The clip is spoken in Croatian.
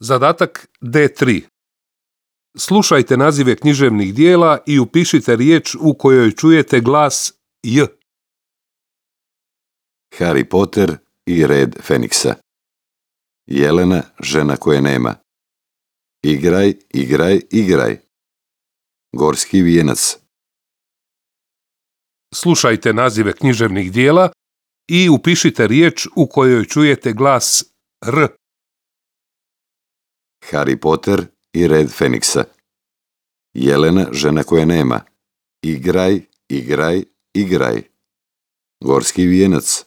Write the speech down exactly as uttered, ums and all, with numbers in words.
Zadatak D tri. Slušajte nazive književnih dijela i upišite riječ u kojoj čujete glas J. Harry Potter i red Feniksa. Jelena, žena koje nema. Igraj, igraj, igraj. Gorski vijenac. Slušajte nazive književnih dijela i upišite riječ u kojoj čujete glas R. Harry Potter i red Feniksa. Jelena, žena koje nema. Igraj, igraj, igraj. Gorski vijenac.